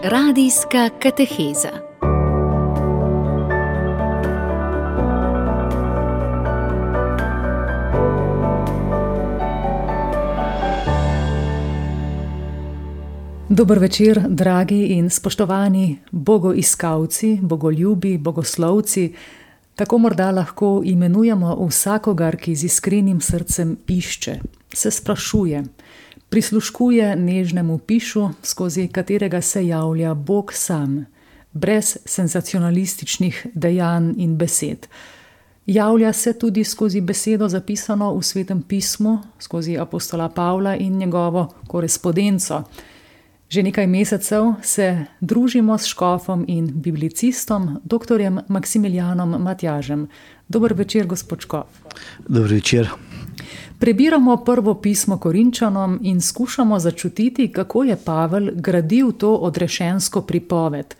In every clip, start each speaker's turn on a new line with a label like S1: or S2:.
S1: Radijska kateheza. Dober večer, dragi in spoštovani bogoiskalci, bogoljubi, bogoslovci. Tako morda lahko imenujemo vsakogar, ki z iskrenim srcem išče, se sprašuje, prisluškuje nežnemu pišu, skozi katerega se javlja Bog sam, brez senzacionalističnih dejanj in besed. Javlja se tudi skozi besedo zapisano v Svetem pismu, skozi apostola Pavla in njegovo korespondenco. Že nekaj mesecev se družimo s škofom in biblicistom, doktorjem Maksimilijanom Matjažem. Dober večer, gospod škof.
S2: Dober večer.
S1: Prebiramo prvo pismo Korinčanom in skušamo začutiti, kako je Pavel gradil to odrešensko pripoved.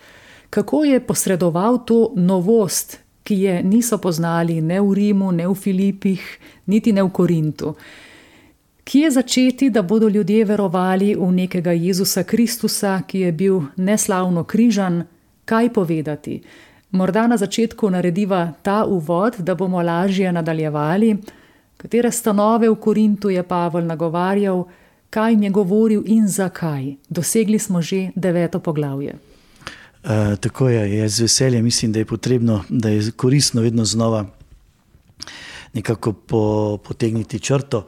S1: Kako je posredoval to novost, ki je niso poznali ne v Rimu, ne v Filipih, niti ne v Korintu. Kje začeti, da bodo ljudje verovali v nekega Jezusa Kristusa, ki je bil neslavno križan? Kaj povedati? Morda na začetku narediva ta uvod, da bomo lažje nadaljevali. Katere stanove v Korintu je Pavel nagovarjal, kaj jim je govoril in zakaj? Dosegli smo že 9. poglavje.
S2: Tako je, jaz z veseljem mislim, da je potrebno, da je koristno vedno znova nekako potegniti črto,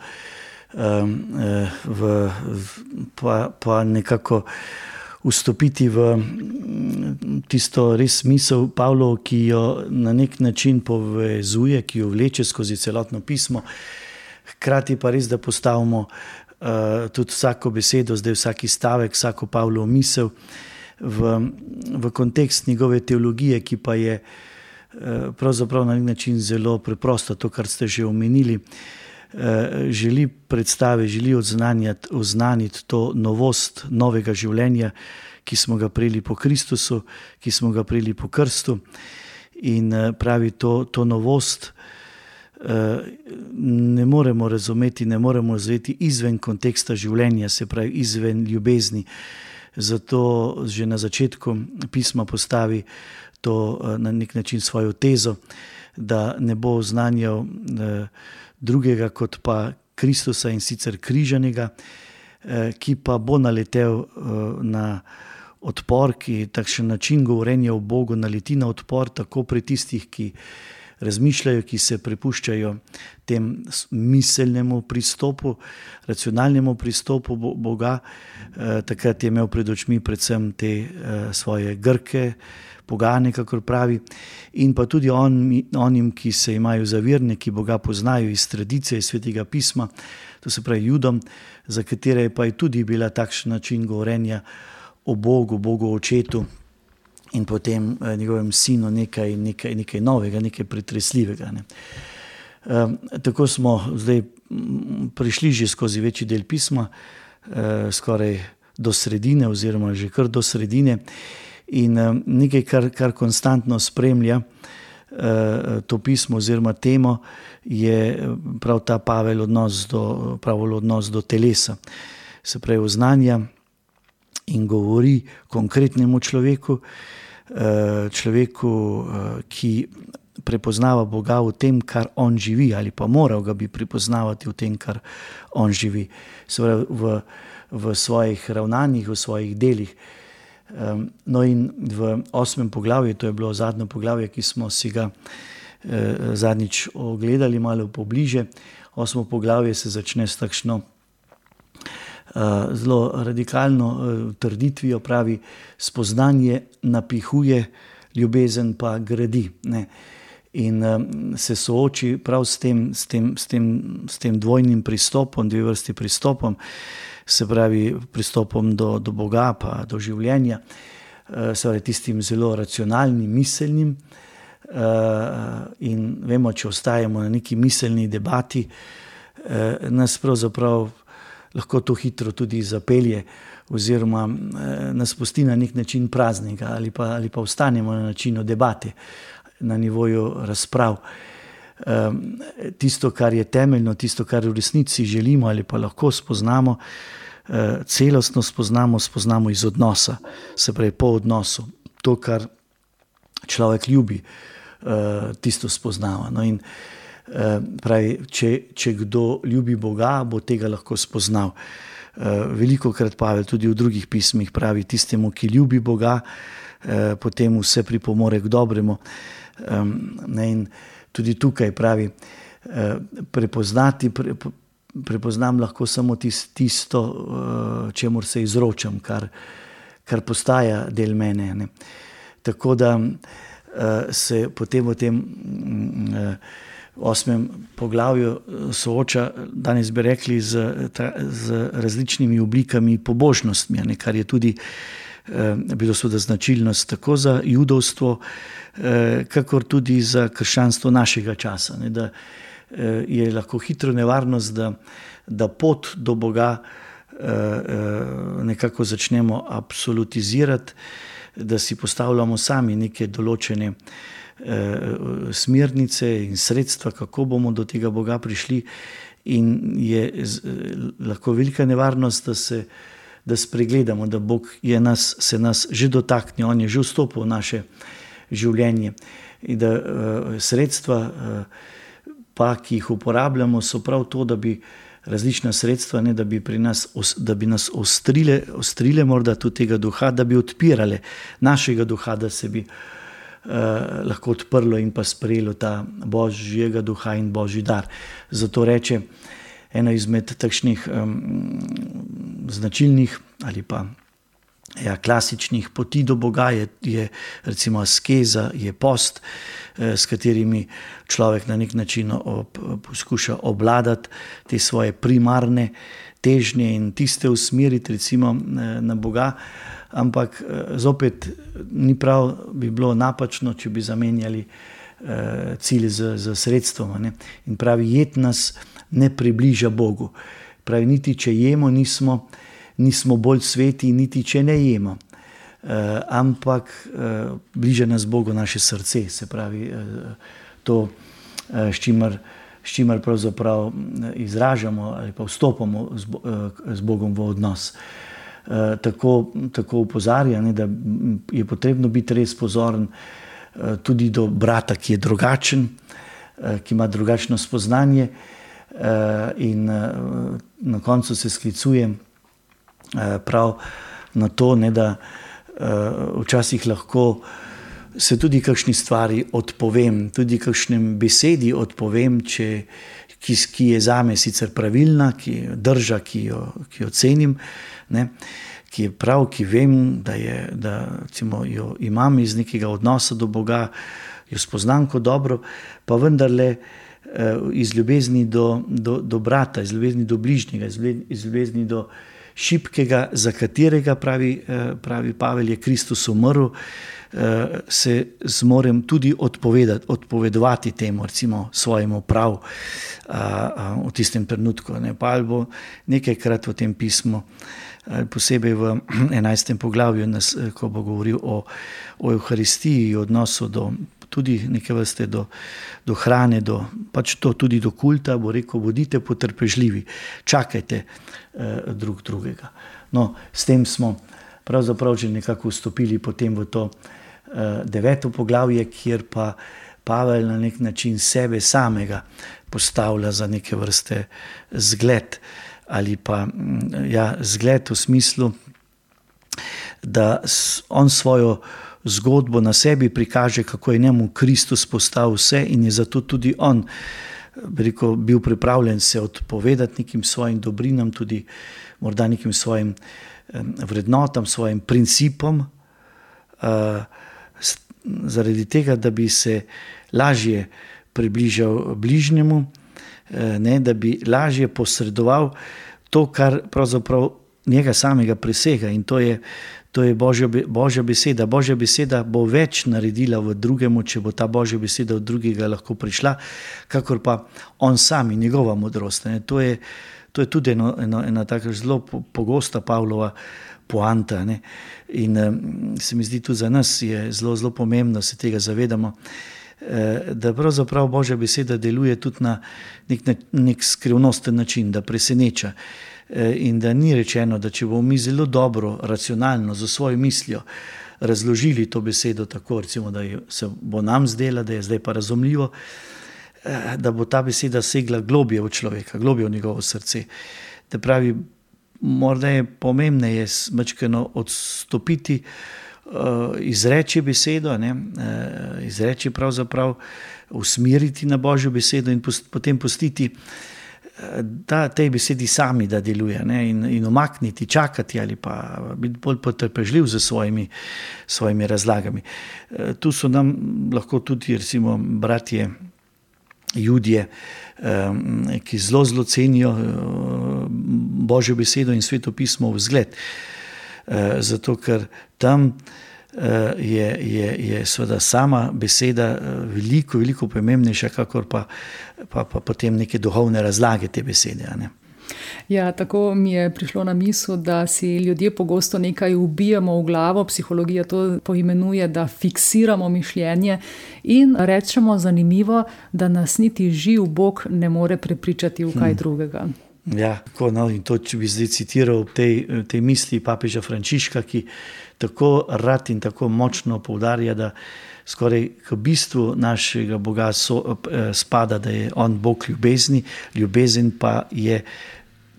S2: pa nekako vstopiti v tisto res misel Pavlov, ki jo na nek način povezuje, ki jo vleče skozi celotno pismo. Hkrati pa res, da postavimo tudi vsako besedo, zdaj vsaki stavek, vsako Pavlovo misel v kontekst njegove teologije, ki pa je pravzaprav na nek način zelo preprosta, to, kar ste že omenili. Želi predstaviti, želi oznaniti to novost novega življenja, ki smo ga prejeli po Kristusu, ki smo ga prejeli po krstu. In pravi, to novost ne moremo razumeti, ne moremo razumeti izven konteksta življenja, se pravi izven ljubezni. Zato že na začetku pisma postavi to na nek način svojo tezo, da ne bo oznanjal drugega kot pa Kristusa, in sicer križanega, ki pa bo naletel na odpor, ki takšen način govorjenja o Bogu naleti na odpor tako pri tistih, ki razmišljajo, ki se prepuščajo tem miselnemu pristopu, racionalnemu pristopu Boga. Takrat je imel pred očmi predvsem te svoje Grke, pogane, kakor pravi, in pa tudi onim, ki se imajo za verne, ki Boga poznajo iz tradicije, iz Svetega pisma, to se pravi Judom, za katere pa je tudi bila takšen način govorjenja o Bogu, Bogu očetu in potem njegovem sinu nekaj novega, nekaj pretresljivega. Tako smo zdaj prišli že skozi večji del pisma, skoraj do sredine oziroma že kar do sredine. In nekaj, kar konstantno spremlja to pismo oziroma temo, je prav ta Pavel odnos do telesa. Se pravi, oznanja in govori konkretnemu človeku, ki prepoznava Boga v tem, kar on živi, ali pa moral ga bi prepoznavati v tem, kar on živi. Se pravi, v svojih ravnanjih, v svojih delih. No, in v 8. poglavju, to je bilo zadnje poglavje, ki smo si ga zadnjič ogledali malo pobliže. 8. poglavje se začne s takšno zelo radikalno trditvijo, pravi, spoznanje napihuje, ljubezen pa gradi. In se sooči prav s tem dvojnim pristopom, dve vrsti pristopom, se pravi pristopom do Boga pa do življenja, se pravi tistim zelo racionalnim, miselnim, in vemo, če ostajamo na neki miselni debati, nas pravzaprav lahko to hitro tudi zapelje oziroma nas pusti na nek način praznega ali pa ostanemo na načinu debate, na nivoju razprav. Tisto, kar je temeljno, tisto, kar v resnici želimo ali pa lahko spoznamo, celostno spoznamo iz odnosa, se pravi po odnosu. To, kar človek ljubi, tisto spoznava. No in pravi, če kdo ljubi Boga, bo tega lahko spoznal. Velikokrat Pavel tudi v drugih pismih pravi, tistemu, ki ljubi Boga, potem vse pripomore k dobremu. In tudi tukaj pravi, prepoznam lahko samo tisto, čemur se izročam, kar postaja del mene. Ne. Tako da se potem v tem 8. poglavju sooča, danes bi rekli, z različnimi oblikami pobožnostmi, ne, kar je tudi bilo seveda značilnost tako za judovstvo, kakor tudi za krščanstvo našega časa. Ne, da je lahko hitro nevarnost, da pot do Boga nekako začnemo absolutizirati, da si postavljamo sami neke določene smernice in sredstva, kako bomo do tega Boga prišli, in je lahko velika nevarnost, da spregledamo, da Bog se nas že dotakne, on je že vstopil v naše življenje in da sredstva, pa, ki jih uporabljamo, so prav to, da bi različna sredstva, ne, da bi nas ostrile morda tudi tega duha, da bi odpirale našega duha, da se bi lahko odprlo in pa sprejelo ta Božjega duha in Božji dar. Zato reče, eno izmed takšnih značilnih ali pa klasičnih poti do Boga je recimo askeza, je post, s katerimi človek na nek način poskuša obvladati te svoje primarne težnje in tiste usmeriti recimo na Boga, ampak zopet ni prav, bi bilo napačno, če bi zamenjali cilj z sredstvom. Ne? In pravi, jed nas ne približa Bogu. Pravi, niti če jemo, nismo bolj sveti, niti če ne jemo. Ampak bliža nas Bogu naše srce, se pravi to, s čimer pravzaprav izražamo ali pa vstopamo z Bogom v odnos. Tako upozarja, ne, da je potrebno biti res pozoren tudi do brata, ki je drugačen, ki ima drugačno spoznanje, in na koncu se sklicuje prav na to, ne, da včasih lahko se tudi kakšni stvari odpovem, tudi kakšnem besedi odpovem, ki je zame sicer pravilna, ki drža, ki jo cenim, ne, ki je prav, ki vem, da recimo jo imam iz nekega odnosa do Boga, jo spoznam kot dobro, pa vendarle iz ljubezni do brata, iz ljubezni do bližnjega, iz ljubezni do šibkega, za katerega pravi Pavel, je Kristus umrl, se zmorem tudi odpovedovati temu, recimo svojemu prav v tistem trenutku. Pavel bo nekajkrat v tem pismu, posebej v 11. poglavju, ko bo govoril o Evharistiji, odnosu tudi neke vrste do hrane, pač to tudi do kulta, bo rekel, bodite potrpežljivi, čakajte drug drugega. No, s tem smo pravzaprav že nekako vstopili potem v to 9. poglavje, kjer pa Pavel na nek način sebe samega postavlja za neke vrste zgled, ali pa zgled v smislu, da on svojo zgodbo na sebi prikaže, kako je njemu Kristus postal vse in je zato tudi on bil pripravljen se odpovedati nekim svojim dobrinam, tudi morda nekim svojim vrednotam, svojim principom, zaradi tega, da bi se lažje približal bližnjemu, ne, da bi lažje posredoval to, kar pravzaprav njega samega presega, in to je Božja beseda. Božja beseda bo več naredila v drugemu, če bo ta Božja beseda od drugega lahko prišla, kakor pa on sam in njegova modrost. Ne. To je tudi ena taka zelo pogosta Pavlova poanta. Ne. In se mi zdi tudi za nas je zelo, zelo pomembno, da se tega zavedamo, da pravzaprav Božja beseda deluje tudi na nek skrivnosten način, da preseneča. In da ni rečeno, da če bomo mi zelo dobro, racionalno, za svojo mislijo razložili to besedo tako, recimo, da se bo nam zdela, da je zdaj pa razumljivo, da bo ta beseda segla globje v človeka, globje v njegovo srce. Da pravi, morda je pomembneje majčkeno odstopiti, izreči besedo, izreči pravzaprav, usmeriti na Božjo besedo in potem pustiti, da tej besedi sami da deluje, in umakniti, čakati ali pa biti bolj potrpežljiv z svojimi razlagami. Tu so nam lahko tudi recimo bratje Judje, ki zelo cenijo Božjo besedo in Sveto pismo v zgled. Zato ker tam je seveda sama beseda veliko pomembnejša, kakor pa potem neke duhovne razlage te besede.
S1: Ja, tako mi je prišlo na misel, da si ljudje pogosto nekaj ubijamo v glavo, psihologija to poimenuje, da fiksiramo mišljenje in rečemo zanimivo, da nas niti živ Bog ne more prepričati v kaj drugega.
S2: Ja, tako, in to, če bi zdaj citiral tej misli papeža Frančiška, ki tako rad in tako močno poudarja, da skoraj k bistvu našega Boga spada, da je on Bog ljubezni, ljubezen pa je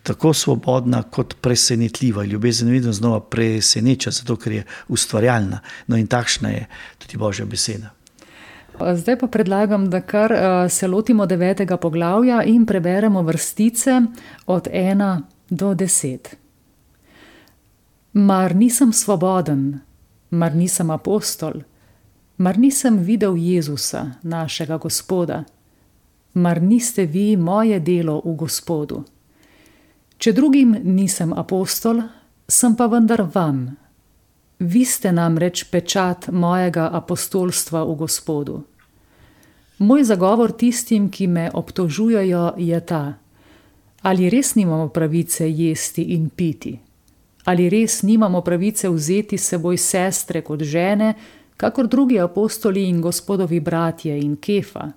S2: tako svobodna kot presenetljiva. Ljubezen vedno znova preseneča, zato ker je ustvarjalna. No in takšna je tudi Božja beseda.
S1: Zdaj pa predlagam, da kar se lotimo 9. poglavja in preberemo vrstice od 1 do 10. Mar nisem svoboden, mar nisem apostol, mar nisem videl Jezusa, našega Gospoda, mar niste vi moje delo v Gospodu. Če drugim nisem apostol, sem pa vendar vam. Vi ste namreč pečat mojega apostolstva v Gospodu. Moj zagovor tistim, ki me obtožujejo, je ta: ali res nimamo pravice jesti in piti? Ali res nimamo pravice vzeti s seboj sestre kot žene, kakor drugi apostoli in Gospodovi bratje in Kefa?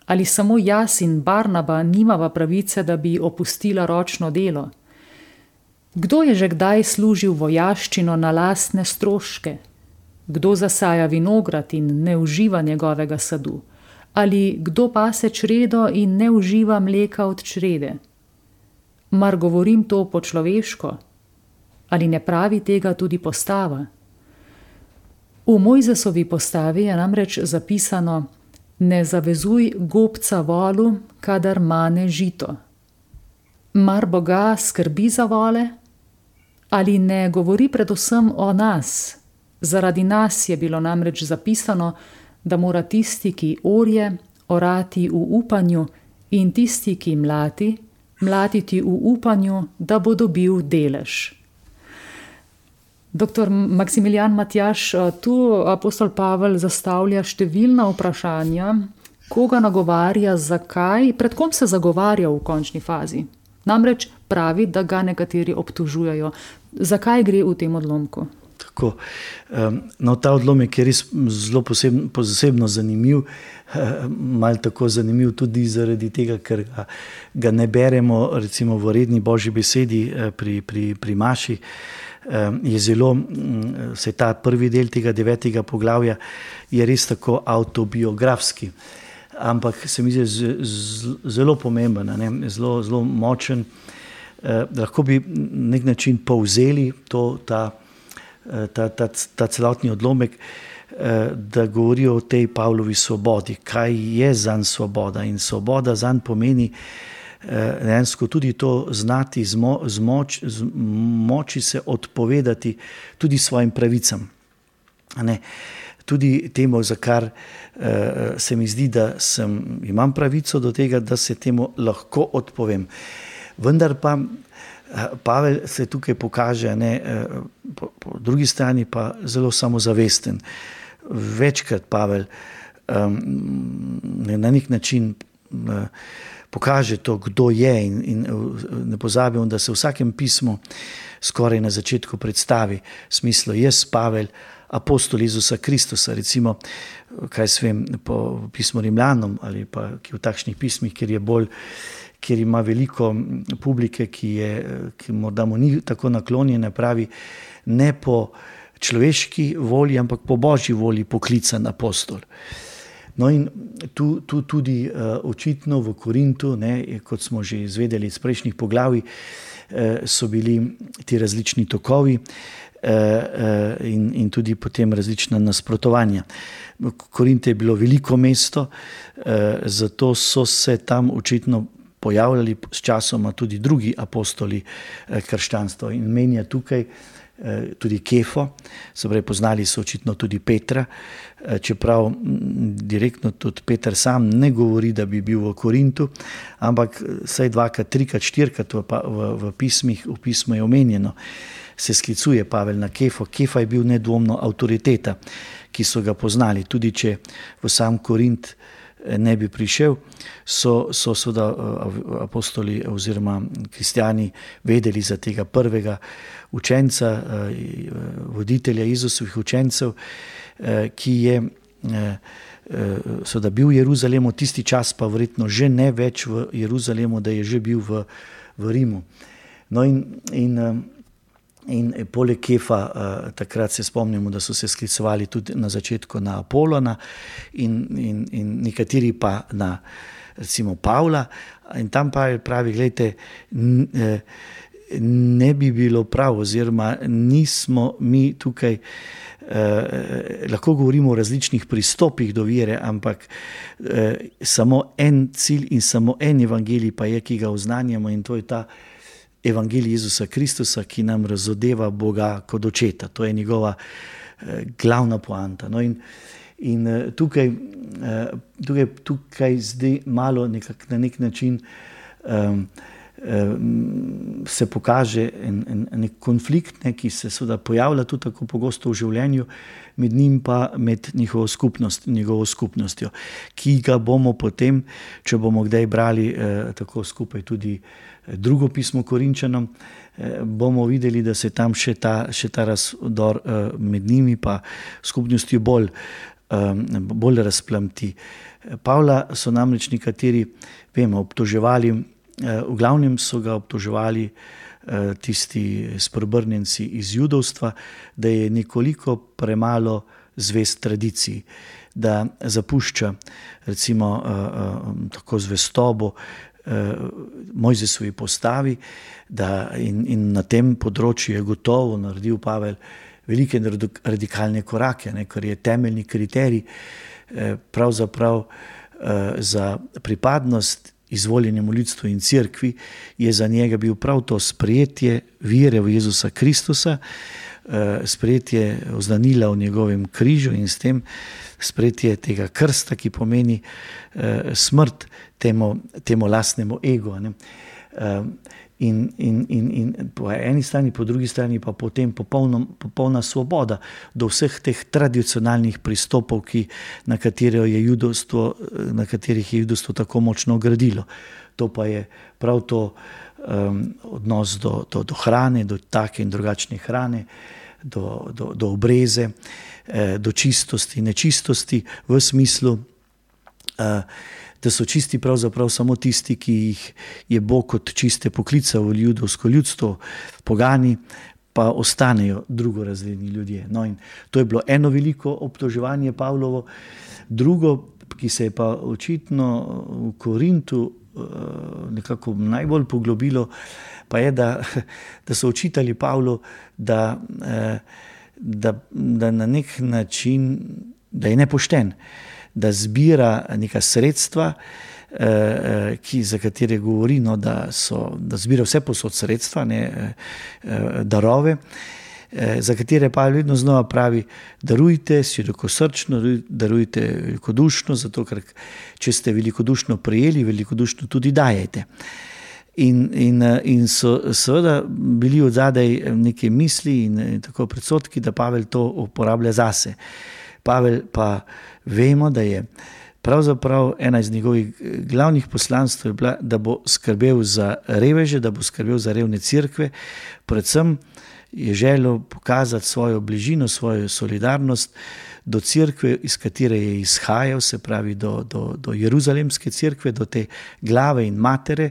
S1: Ali samo jaz in Barnaba nimava pravice, da bi opustila ročno delo? Kdo je že kdaj služil vojaščino na lastne stroške? Kdo zasaja vinograd in ne uživa njegovega sadu? Ali kdo pase čredo in ne uživa mleka od črede? Mar govorim to po človeško? Ali ne pravi tega tudi postava? V Mojzesovi postavi je namreč zapisano: ne zavezuj gobca volu, kadar mane žito. Mar Boga skrbi za vole? Ali ne govori predvsem o nas? Zaradi nas je bilo namreč zapisano, da mora tisti, ki orje, orati v upanju, in tisti, ki mlati, mlatiti v upanju, da bo dobil delež. Dr. Maksimilijan Matjaž, tu apostol Pavel zastavlja številna vprašanja, koga nagovarja, zakaj, pred kom se zagovarja v končni fazi. Namreč pravi, da ga nekateri obtožujejo. Zakaj gre v tem odlomku?
S2: Tako. No, ta odlomek je res zelo posebno zanimiv, malo tako zanimiv tudi zaradi tega, ker ga ne beremo recimo v redni Božji besedi pri maši. Je zelo, vse ta prvi del tega 9. poglavja je res tako avtobiografski, ampak se mi zdi zelo pomemben, zelo močen. Lahko bi na nek način povzeli ta celotni odlomek, da govori o tej Pavlovi svobodi, kaj je zanj svoboda. In svoboda zanj pomeni dejansko tudi to znati moči se odpovedati tudi svojim pravicam. Tudi temu, za kar se mi zdi, da imam pravico do tega, da se temu lahko odpovem. Vendar pa Pavel se tukaj pokaže, po drugi strani pa zelo samozavesten. Večkrat Pavel na nek način pokaže to, kdo je, in ne pozabimo, da se v vsakem pismu skoraj na začetku predstavi v smislu: jaz, Pavel, apostol Jezusa Kristusa, recimo, kaj se vem, po pismu Rimljanom ali pa v takšnih pismih, kjer ima veliko publike, ki morda mu ni tako naklonjena, pravi, ne po človeški volji, ampak po božji volji poklican apostol. No in tu tudi očitno v Korintu, kot smo že izvedeli iz prejšnjih poglavij, so bili ti različni tokovi in tudi potem različna nasprotovanja. Korint je bilo veliko mesto, zato so se tam očitno pojavljali s časoma tudi drugi apostoli krščanstva. In menja tukaj tudi Kefo, se pravi, poznali so očitno tudi Petra, čeprav direktno tudi Peter sam ne govori, da bi bil v Korintu, ampak vsaj 2-krat, 3-krat, 4-krat v pismu je omenjeno, se sklicuje Pavel na Kefo. Kefa je bil nedvomno avtoriteta, ki so ga poznali. Tudi če v sam Korint ne bi prišel, so seveda apostoli oziroma kristjani vedeli za tega prvega učenca, voditelja Jezusovih učencev, ki je seveda bil v Jeruzalemu, tisti čas pa verjetno že ne več v Jeruzalemu, da je že bil v Rimu. No in poleg Kefa, takrat se spomnimo, da so se sklicovali tudi na začetku na Apolona in nekateri pa na recimo Pavla, in tam pa pravi, gledajte, ne bi bilo prav, oziroma nismo mi tukaj, lahko govorimo o različnih pristopih do vere, ampak samo en cilj in samo en evangelij pa je, ki ga oznanjamo, in to je ta evangelij Jezusa Kristusa, ki nam razodeva Boga kot očeta. To je njegova glavna poanta. No in tukaj zdaj malo na nek način se pokaže nek konflikt, ki se seveda pojavlja tudi tako pogosto v življenju, med njim pa med njegovo skupnostjo, ki ga bomo potem, če bomo kdaj brali tako skupaj tudi drugo pismo Korinčanom, bomo videli, da se tam še ta razdor med njimi pa skupnostjo bolj razplamti. Pavla so namreč nekateri, vemo, obtoževali, v glavnem so ga obtoževali tisti spreobrnjenci iz judovstva, da je nekoliko premalo zvest tradiciji, da zapušča recimo tako zvestobo Mojzesovi postavi, in na tem področju je gotovo naredil Pavel velike radikalne korake, kar je temeljni kriterij pravzaprav za pripadnost izvoljenemu ljudstvu in cerkvi, je za njega bil prav to sprejetje vere v Jezusa Kristusa, sprejetje oznanila v njegovem križu in s tem sprejetje tega krsta, ki pomeni smrt temu lastnemu egu. In po eni strani, po drugi strani pa potem popolna svoboda do vseh teh tradicionalnih pristopov, na katerih je judovstvo tako močno gradilo. To pa je prav to odnos do hrane, do take in drugačne hrane, do obreze, do čistosti, nečistosti, v smislu, da so čisti pravzaprav samo tisti, ki jih je Bog kot čiste poklical v judovsko ljudstvo, pogani pa ostanejo drugorazredni ljudje. No, in to je bilo eno veliko obtoževanje Pavlovo. Drugo, ki se je pa očitno v Korintu nekako najbolj poglobilo, pa je, da so očitali Pavlu, da na nek način, da je nepošten, da zbira neka sredstva, za katere govori, da zbira vse posod sredstva, darove, za katere pa vedno znova pravi, darujte širokosrčno, darujte velikodušno, zato ker če ste velikodušno prejeli, velikodušno tudi dajete. In so seveda bili odzadaj neke misli in tako predsodki, da Pavel to uporablja zase. Pavel pa vemo, da je pravzaprav ena iz njegovih glavnih poslanstv bila, da bo skrbel za reveže, da bo skrbel za revne cerkve, predvsem je želel pokazati svojo bližino, svojo solidarnost do cerkve, iz katere je izhajal, se pravi do Jeruzalemske cerkve, do te glave in matere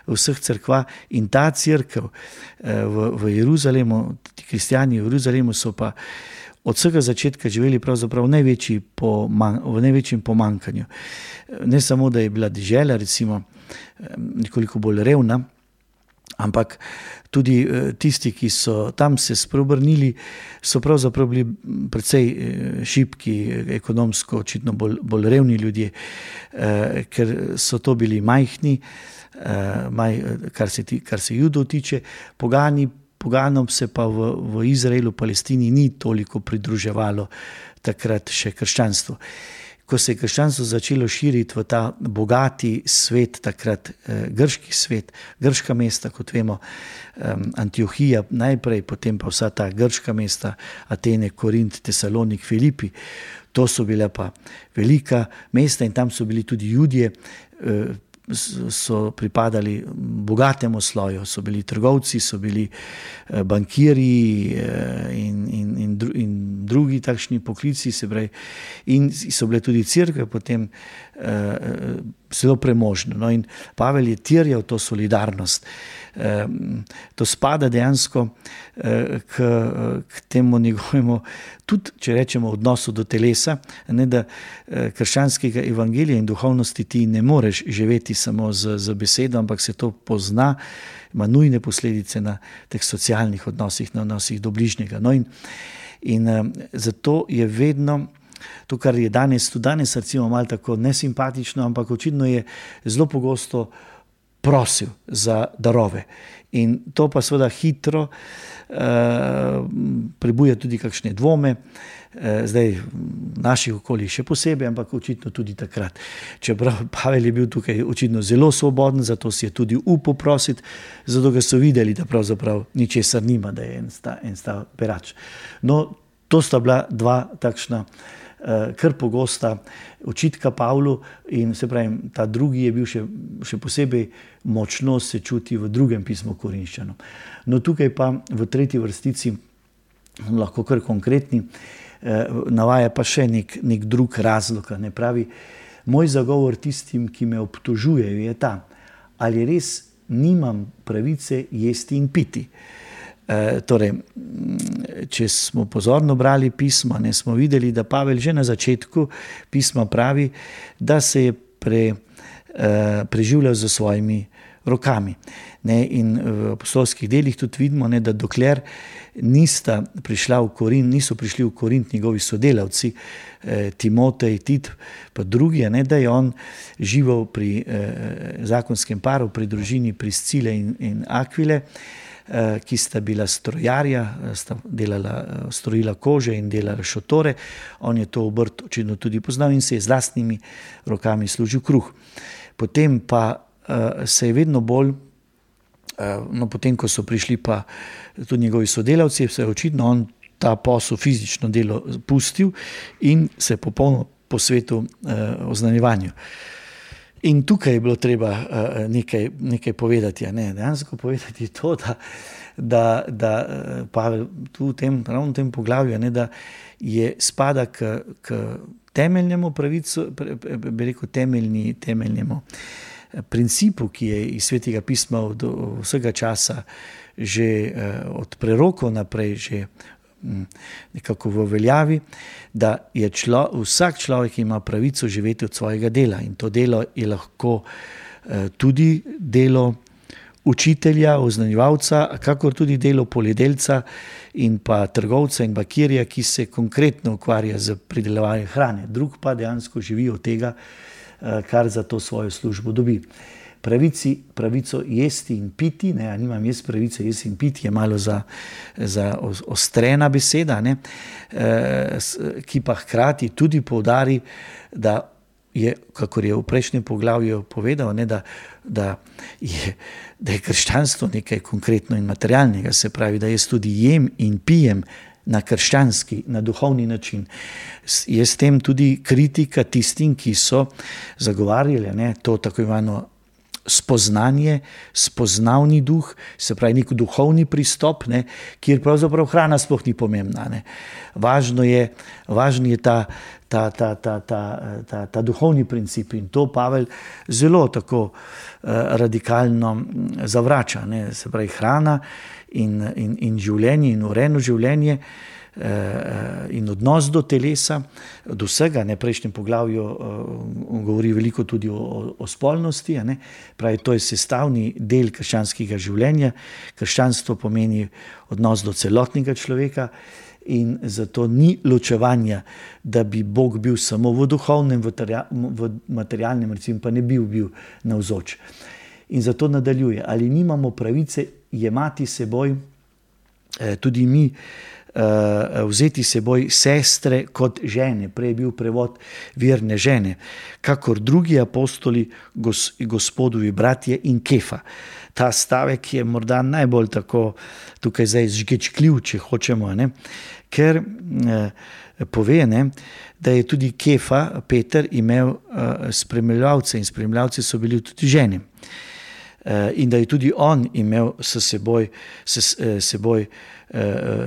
S2: vseh cerkva. In ta cerkev v Jeruzalemu, ti kristjani v Jeruzalemu so pa od vsega začetka živeli pravzaprav v največjem pomanjkanju. Ne samo, da je bila dežela recimo nekoliko bolj revna, ampak tudi tisti, ki so tam se spreobrnili, so pravzaprav bili precej šibki, ekonomsko očitno bolj revni ljudje, ker so to bili majhni, kar se Judov tiče, poganom se pa v Izraelu, Palestini ni toliko pridruževalo takrat še krščanstvo. Ko se je krščanstvo začelo širiti v ta bogati svet, takrat grški svet, grška mesta, kot vemo, Antiohija najprej, potem pa vsa ta grška mesta, Atene, Korint, Tesalonik, Filipi, to so bile pa velika mesta in tam so bili tudi Judje, so pripadali bogatemu sloju, so bili trgovci, so bili bankirji in drugi takšni poklici, se pravi, in so bile tudi cerkve potem zelo premožne. No, in Pavel je terjal to solidarnost. To spada dejansko k temu njegovemu, tudi če rečemo odnosu do telesa, ne, da krščanskega evangelija in duhovnosti ti ne moreš živeti samo z besedo, ampak se to pozna, ima nujne posledice na teh socialnih odnosih, na odnosih do bližnjega. No, in zato je vedno to, kar je danes recimo malo tako nesimpatično, ampak očitno je zelo pogosto prosil za darove. In to pa seveda hitro prebuja tudi kakšne dvome, zdaj v naših okoljih še posebej, ampak očitno tudi takrat. Čeprav Pavel je bil tukaj očitno zelo svoboden, zato si je tudi upal prositi, zato ga so videli, da pravzaprav ničesar nima, da je en stav berač. No, to sta bila dva takšna kar pogosta očitka Pavlu, in se pravi, ta drugi je bil še posebej močno se čuti v drugem pismu Korinščanom. No, tukaj pa v tretji vrstici, lahko kar konkretni, navaja pa še nek drug razlog, ne, pravi: moj zagovor tistim, ki me obtožujejo, je ta, ali res nimam pravice jesti in piti. Torej, če smo pozorno brali pisma, ne, smo videli, da Pavel že na začetku pisma pravi, da se je preživljal z svojimi rokami. Ne, in v apostolskih delih tudi vidimo, ne, da dokler niso prišli v Korint njegovi sodelavci, Timotej, Tit, pa drugi, ne, da je on živel pri zakonskem paru, pri družini Priscile in Akvile, ki sta bila strojarja, sta strojila kože in delala šotore. On je to obrt očitno tudi poznal in se je z lastnimi rokami služil kruh. Potem pa se je vedno bolj, no, potem ko so prišli pa tudi njegovi sodelavci, se je očitno on ta posel, fizično delo pustil in se je popolno posvetil oznanjevanju. In tukaj je bilo treba nekaj povedati, ne? Dejansko povedati to, da Pavel tu ravno v tem poglavju, ne, da je spada k temeljnemu pravicu, bi rekel temeljnemu principu, ki je iz Svetega pisma od vsega časa že od prerokov naprej že nekako v veljavi, da je vsak človek ima pravico živeti od svojega dela, in to delo je lahko tudi delo učitelja, oznanjevalca, kakor tudi delo poljedelca in pa trgovca in bakirja, ki se konkretno ukvarja z pridelovanjem hrane. Drug pa dejansko živi od tega, kar za to svojo službo dobi. Pravico jesti in piti, ne, nimam jaz pravice jesti in piti, je malo za ostrena beseda, ne, ki pa hkrati tudi poudari, da je, kakor je v prejšnjem poglavju povedal, ne, da je krščanstvo nekaj konkretno in materialnega, se pravi, da jaz tudi jem in pijem na krščanski, na duhovni način. Je s tem tudi kritika tistim, ki so zagovarjali, ne, to tako imeno spoznanje, spoznavni duh, se pravi nek duhovni pristop, ne, kjer pravzaprav hrana sploh ni pomembna. Ne. Važno je ta duhovni princip in to Pavel zelo tako radikalno zavrača. Ne. Se pravi hrana in življenje in urejeno življenje in odnos do telesa, do vsega. Ne, prejšnjem poglavju govori veliko tudi o spolnosti. Ne. Pravi, to je sestavni del krščanskega življenja. Krščanstvo pomeni odnos do celotnega človeka in zato ni ločevanja, da bi Bog bil samo v duhovnem, v materialnem, recimo pa ne bil navzoč. In zato nadaljuje, ali nimamo pravice jemati seboj tudi mi, vzeti seboj sestre kot žene, prej je bil prevod verne žene, kakor drugi apostoli, Gospodovi bratje in Kefa. Ta stavek je morda najbolj tako tukaj zdaj žgečkljiv, če hočemo, ne? Ker pove, ne, da je tudi Kefa, Peter, imel spremljevalce in spremljevalci so bili tudi žene. In da je tudi on imel s seboj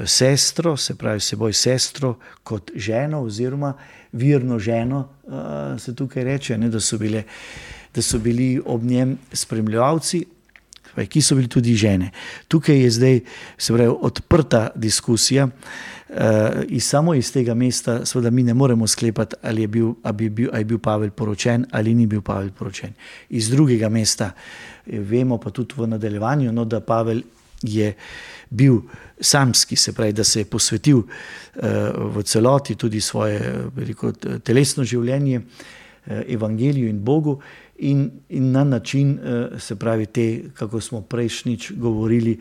S2: sestro, se pravi seboj sestro kot ženo oziroma virno ženo, se tukaj reče, ne, da so bili ob njem spremljevalci, ki so bili tudi žene. Tukaj je zdaj, se pravi, odprta diskusija in samo iz tega mesta seveda mi ne moremo sklepati, ali je bil Pavel poročen ali ni bil Pavel poročen. Iz drugega mesta vemo pa tudi v nadaljevanju, no, da Pavel je bil samski, se pravi, da se je posvetil v celoti tudi svoje telesno življenje evangeliju in Bogu in na način, se pravi, te, kako smo prejšnjič govorili,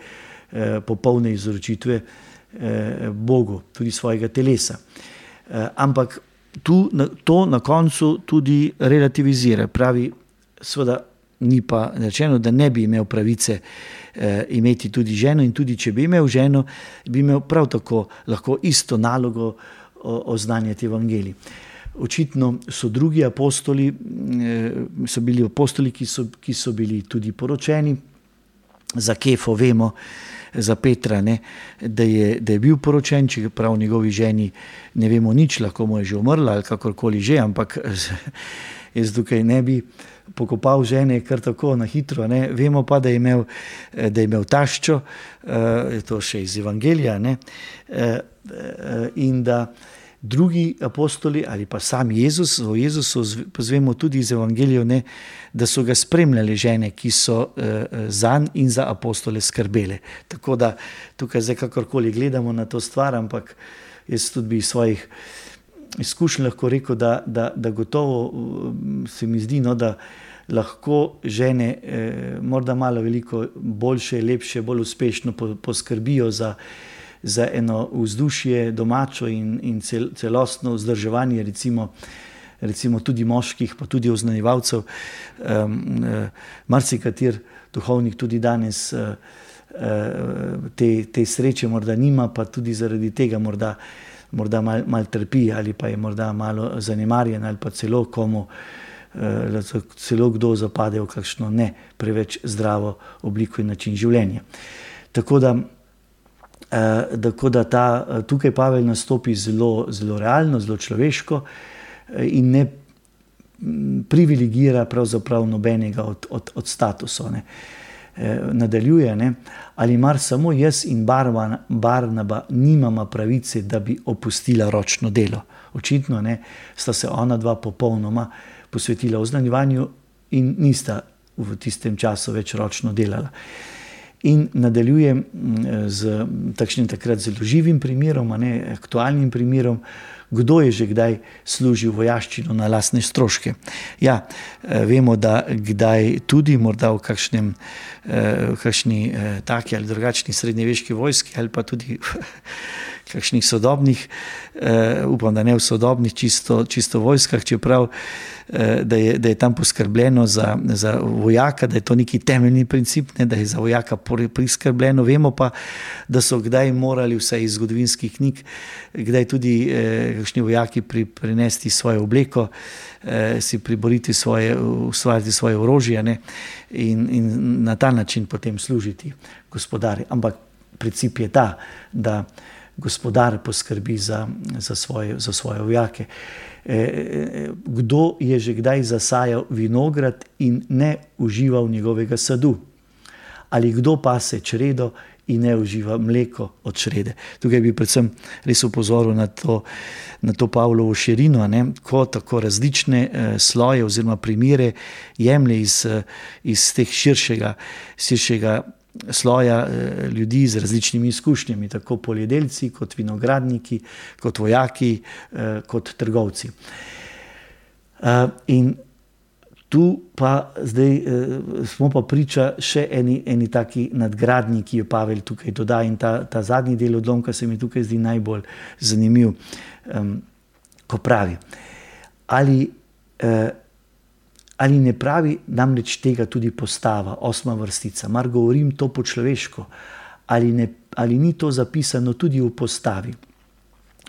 S2: popolne izročitve Bogu, tudi svojega telesa. Ampak to na koncu tudi relativizira. Pravi, seveda ni pa rečeno, da ne bi imel pravice imeti tudi ženo in tudi, če bi imel ženo, bi imel prav tako lahko isto nalogo oznanjati evangelij. Očitno so drugi apostoli, so bili apostoli, ki so bili tudi poročeni. Za Kefo vemo, za Petra, ne, da je bil poročen, čeprav njegovi ženi ne vemo nič, lahko mu je že umrla ali kakorkoli že, ampak jaz tukaj ne bi pokopal žene kar tako na hitro. Ne. Vemo pa, da je imel taščo, to še iz evangelija, ne, in da drugi apostoli ali pa sam Jezus, o Jezusu zvemo tudi iz evangelijev, ne, da so ga spremljali žene, ki so zanj in za apostole skrbele. Tako da tukaj zdaj kakorkoli gledamo na to stvar, ampak jaz tudi bi svojih izkušenj lahko rekel, da gotovo se mi zdi, no, da lahko žene morda malo veliko boljše, lepše, bolj uspešno poskrbijo za eno vzdušje domačo in celostno vzdrževanje, recimo tudi moških, pa tudi oznanjevalcev. Marsikater duhovnik tudi danes te sreče morda nima, pa tudi zaradi tega morda malo trpi ali pa je morda malo zanemarjen ali pa celo komu celo kdo zapade v kakšno ne preveč zdravo obliko in način življenja. Tako da tukaj Pavel nastopi zelo, zelo realno, zelo človeško in ne privilegira pravzaprav nobenega od statusov. Ne. Nadaljuje, ne, ali mar samo jaz in Barnaba nimama pravice, da bi opustila ročno delo. Očitno, ne, sta se ona dva popolnoma posvetila oznanjevanju in nista v tistem času več ročno delala. In nadaljujem z takšnim takrat zelo živim primerom, aktualnim primerom, kdo je že kdaj služil vojaščino na lastne stroške. Ja, vemo, da kdaj tudi morda v kakšni taki ali drugačni srednjeveški vojski ali pa tudi kakšnih sodobnih, upam, da ne v sodobnih čisto vojskah, čeprav da je tam poskrbljeno za vojaka, da je to neki temeljni princip, ne, da je za vojaka priskrbljeno. Vemo pa, da so kdaj morali, vsaj iz zgodovinskih knjig, kdaj tudi kakšni vojaki prinesti svojo obleko, si priboriti ustvariti svoje orožje, ne, in na ta način potem služiti gospodarju. Ampak princip je ta, da gospodar poskrbi za svoje vojake. Kdo je že kdaj zasajal vinograd in ne užival njegovega sadu? Ali kdo pase čredo in ne uživa mleko od črede? Tukaj bi predvsem res upozoril na to Pavlovo širino, ne? Ko tako različne sloje oziroma primere jemlje iz teh širšega sloja ljudi z različnimi izkušnjami, tako poljedelci, kot vinogradniki, kot vojaki, kot trgovci. In tu pa zdaj smo pa priča še eni taki nadgradnji, ki jo Pavel tukaj doda, in ta zadnji del odlomka se mi tukaj zdi najbolj zanimiv, ko pravi, ali ne pravi namreč tega tudi postava, 8. vrstica, mar govorim to po človeško, ali ni to zapisano tudi v postavi?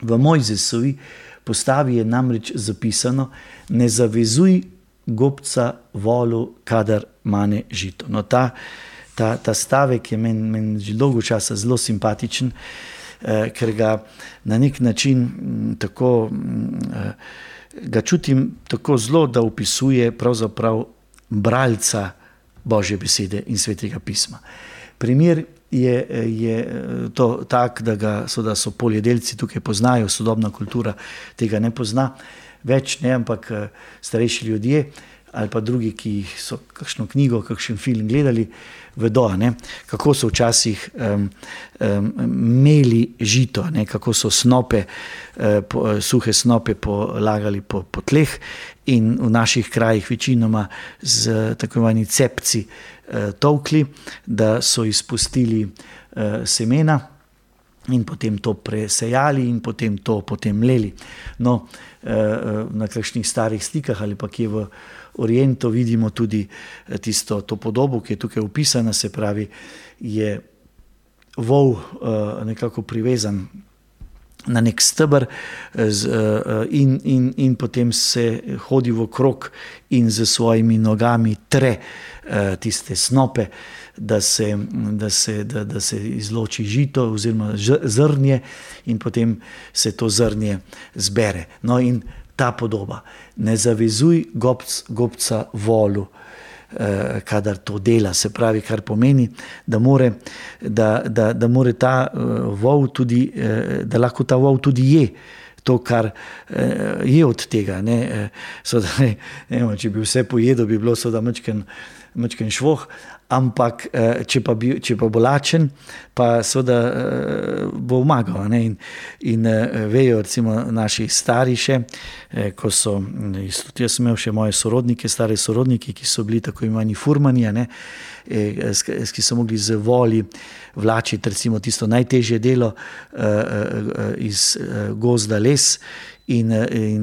S2: V Mojzesovi postavi je namreč zapisano: ne zavezuj gobca volu, kadar mane žito. No, ta stavek je meni že dolgo časa zelo simpatičen, ker ga na nek način tako ga čutim tako zelo, da opisuje pravzaprav bralca Božje besede in Svetega pisma. Primer je to tak, da so poljedelci tukaj poznajo, sodobna kultura tega ne pozna več, ne, ampak starejši ljudje ali pa drugi, ki so kakšno knjigo, kakšen film gledali, vedo, ne, kako so včasih meli žito, ne, kako so suhe snope polagali po tleh in v naših krajih večinoma z tako imenovanimi cepci tolkli, da so izpustili semena in potem to presejali in potem to mleli. No, na kakšnih starih slikah ali pa kje v Orientu vidimo tudi to podobo, ki je tukaj opisana, se pravi, je vol nekako privezan na nek steber in potem se hodi v krog in z svojimi nogami tre tiste snope, da se izloči žito oziroma zrnje in potem se to zrnje zbere. No, in ta podoba: ne zavezuj gobca volu, kadar to dela, se pravi, kar pomeni, da more ta vol tudi, da lahko ta vol tudi je to, kar je od tega. Ne, če bi vse pojedel, bi bilo seveda majčken švoh, ampak če pa bo lačen, pa seveda bo omagal. In vejo recimo naši stari še, ko so, tudi jaz sem imel še moje sorodnike, stare sorodnike, ki so bili tako imenovani furmani, ki so mogli z voli vlačiti recimo tisto najtežje delo iz gozda les. In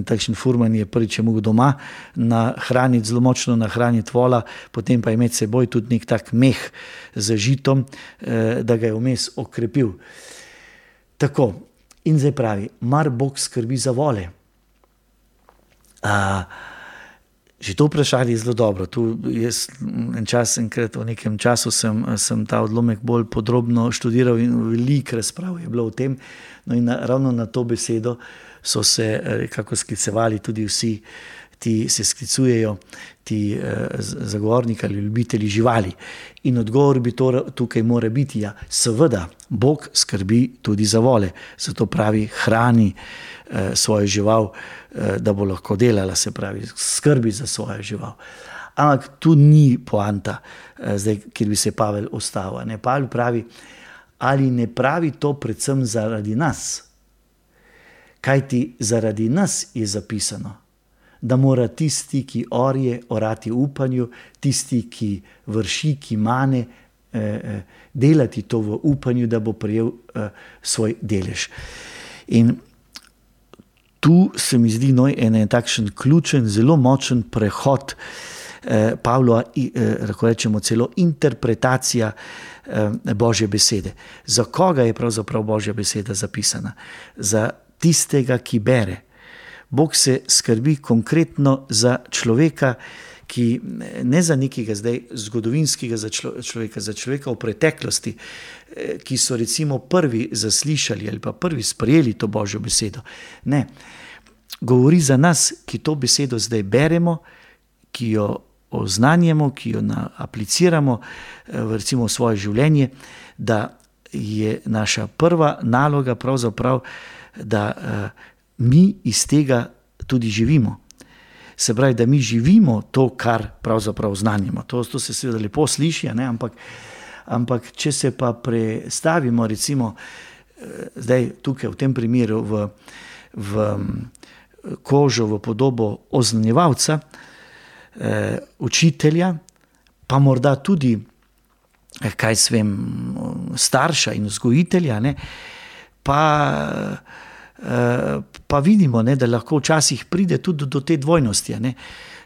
S2: takšen furman je prvič mogel doma zelo močno nahraniti vola, potem pa imeti seboj tudi nek tak meh z žitom, da ga je vmes okrepil. Tako, in zdaj pravi, mar Bog skrbi za vole? Že to vprašanje je zelo dobro. Tu jaz enkrat v nekem času sem ta odlomek bolj podrobno študiral in veliko razprav je bilo o tem. No, in ravno na to besedo so se kako sklicevali tudi vsi, se sklicujejo ti zagovorniki ali ljubitelji živali. In odgovor bi tukaj mora biti, ja, seveda, Bog skrbi tudi za vole. Zato pravi, hrani svojo žival, da bo lahko delala, se pravi, skrbi za svojo žival. Ampak tu ni poanta, zdaj, kjer bi se Pavel ustavil. Pavel pravi, ali ne pravi to predvsem zaradi nas? Kajti zaradi nas je zapisano, da mora tisti, ki orje, orati v upanju, tisti, ki vrši, ki mane, delati to v upanju, da bo prejel svoj delež. In tu se mi zdi en takšen ključen, zelo močen prehod Pavlova, lahko rečemo celo interpretacija Božje besede. Za koga je pravzaprav Božja beseda zapisana? Za tistega, ki bere. Bog se skrbi konkretno za človeka, ki ne za nekega zdaj zgodovinskega za človeka v preteklosti, ki so recimo prvi zaslišali ali pa prvi sprejeli to Božjo besedo. Ne, govori za nas, ki to besedo zdaj beremo, ki jo oznanjamo, ki jo apliciramo recimo v svoje življenje, da je naša prva naloga pravzaprav, da mi iz tega tudi živimo. Se pravi, da mi živimo to, kar pravzaprav znanjamo. To se seveda lepo sliši, ne? Ampak če se pa prestavimo recimo zdaj tukaj v tem primeru v kožo, v podobo oznanjevalca, učitelja, pa morda tudi, starša in vzgojitelja, ne? Pa vidimo, ne, da lahko včasih pride tudi do te dvojnosti, ne,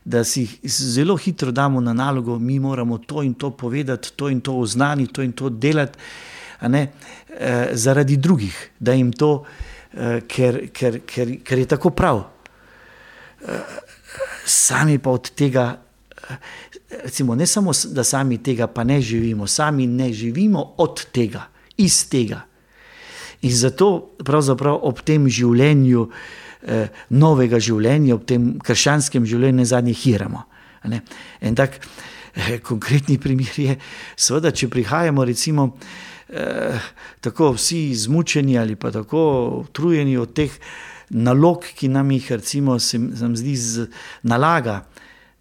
S2: da si zelo hitro damo na nalogo, mi moramo to in to povedati, to in to oznaniti, to in to delati, ne, zaradi drugih, da jim to, ker je tako prav. Sami pa od tega, recimo, ne samo, da sami tega pa ne živimo, sami ne živimo od tega, iz tega. In zato pravzaprav ob tem življenju, novega življenja, ob tem krščanskem življenju zadnje hiramo. En tak konkretni primer je, seveda, če prihajamo recimo tako vsi izmučeni ali pa tako utrujeni od teh nalog, ki nam jih recimo se nam zdi nalaga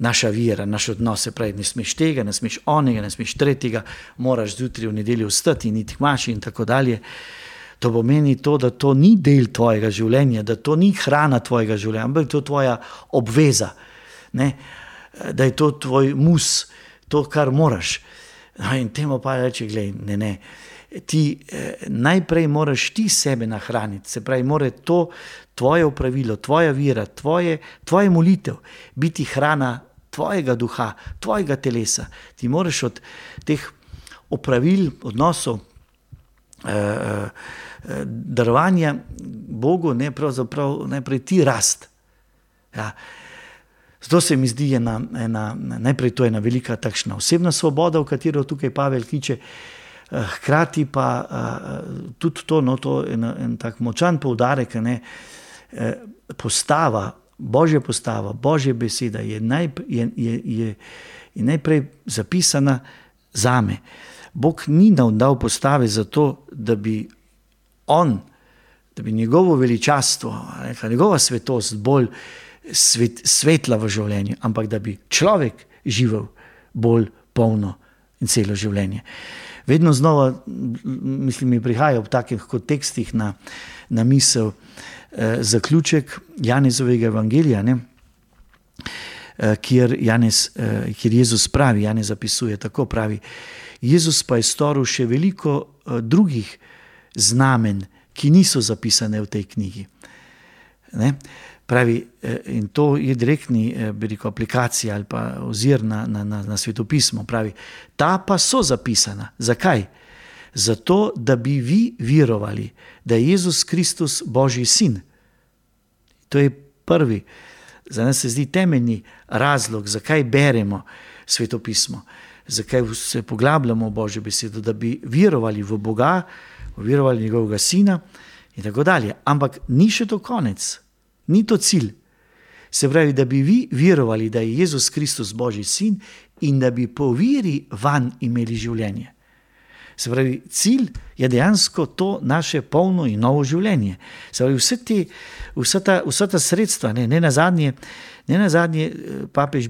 S2: naša vera, naš odnos, se pravi, ne smeš tega, ne smeš onega, ne smeš tretjega, moraš zjutraj v nedeljo vstati in iti k maši in tako dalje. To pomeni to, da to ni del tvojega življenja, da to ni hrana tvojega življenja, ampak to je tvoja obveza, ne? Da je to tvoj mus, to, kar moraš. In temu pa reče, glej, ne, ti najprej moraš ti sebe nahraniti, se pravi, mora to tvoje opravilo, tvoja vera, tvoje molitev biti hrana tvojega duha, tvojega telesa. Ti moraš od teh opravil, odnosov, darovanja Bogu, ne, pravzaprav najprej ti rast. Ja. Zato se mi zdi najprej to ena velika takšna osebna svoboda, v katero tukaj Pavel kliče, hkrati pa tudi to, to en tak močan poudarek, ne, Božja postava, Božja beseda je najprej zapisana zame. Bog ni nam dal postave zato, da bi njegovo veličastvo, njegova svetost bolj svetla v življenju, ampak da bi človek živel bolj polno in celo življenje. Vedno znova, mislim, mi prihaja v takih kontekstih na misel zaključek Janezovega evangelija, ne? Kjer Jezus pravi, Janez zapisuje, tako pravi, Jezus pa je storil še veliko drugih znamen, ki niso zapisane v tej knjigi. Ne? Pravi, in to je direktni, aplikacija ali pa ozir na svetopismo. Pravi, ta pa so zapisana. Zakaj? Zato, da bi vi verovali, da je Jezus Kristus Božji sin. To je prvi, za nas se zdi temeljni razlog, zakaj beremo svetopismo. Zakaj se poglabljamo v Božjo besedo, da bi verovali v Boga, verovali njegovega sina in tako dalje. Ampak ni še to konec, ni to cilj. Se pravi, da bi vi verovali, da je Jezus Kristus Božji sin in da bi po veri vanj imeli življenje. Se pravi, cilj je dejansko to naše polno in novo življenje. Se pravi, vsa ta sredstva, ne nazadnje papež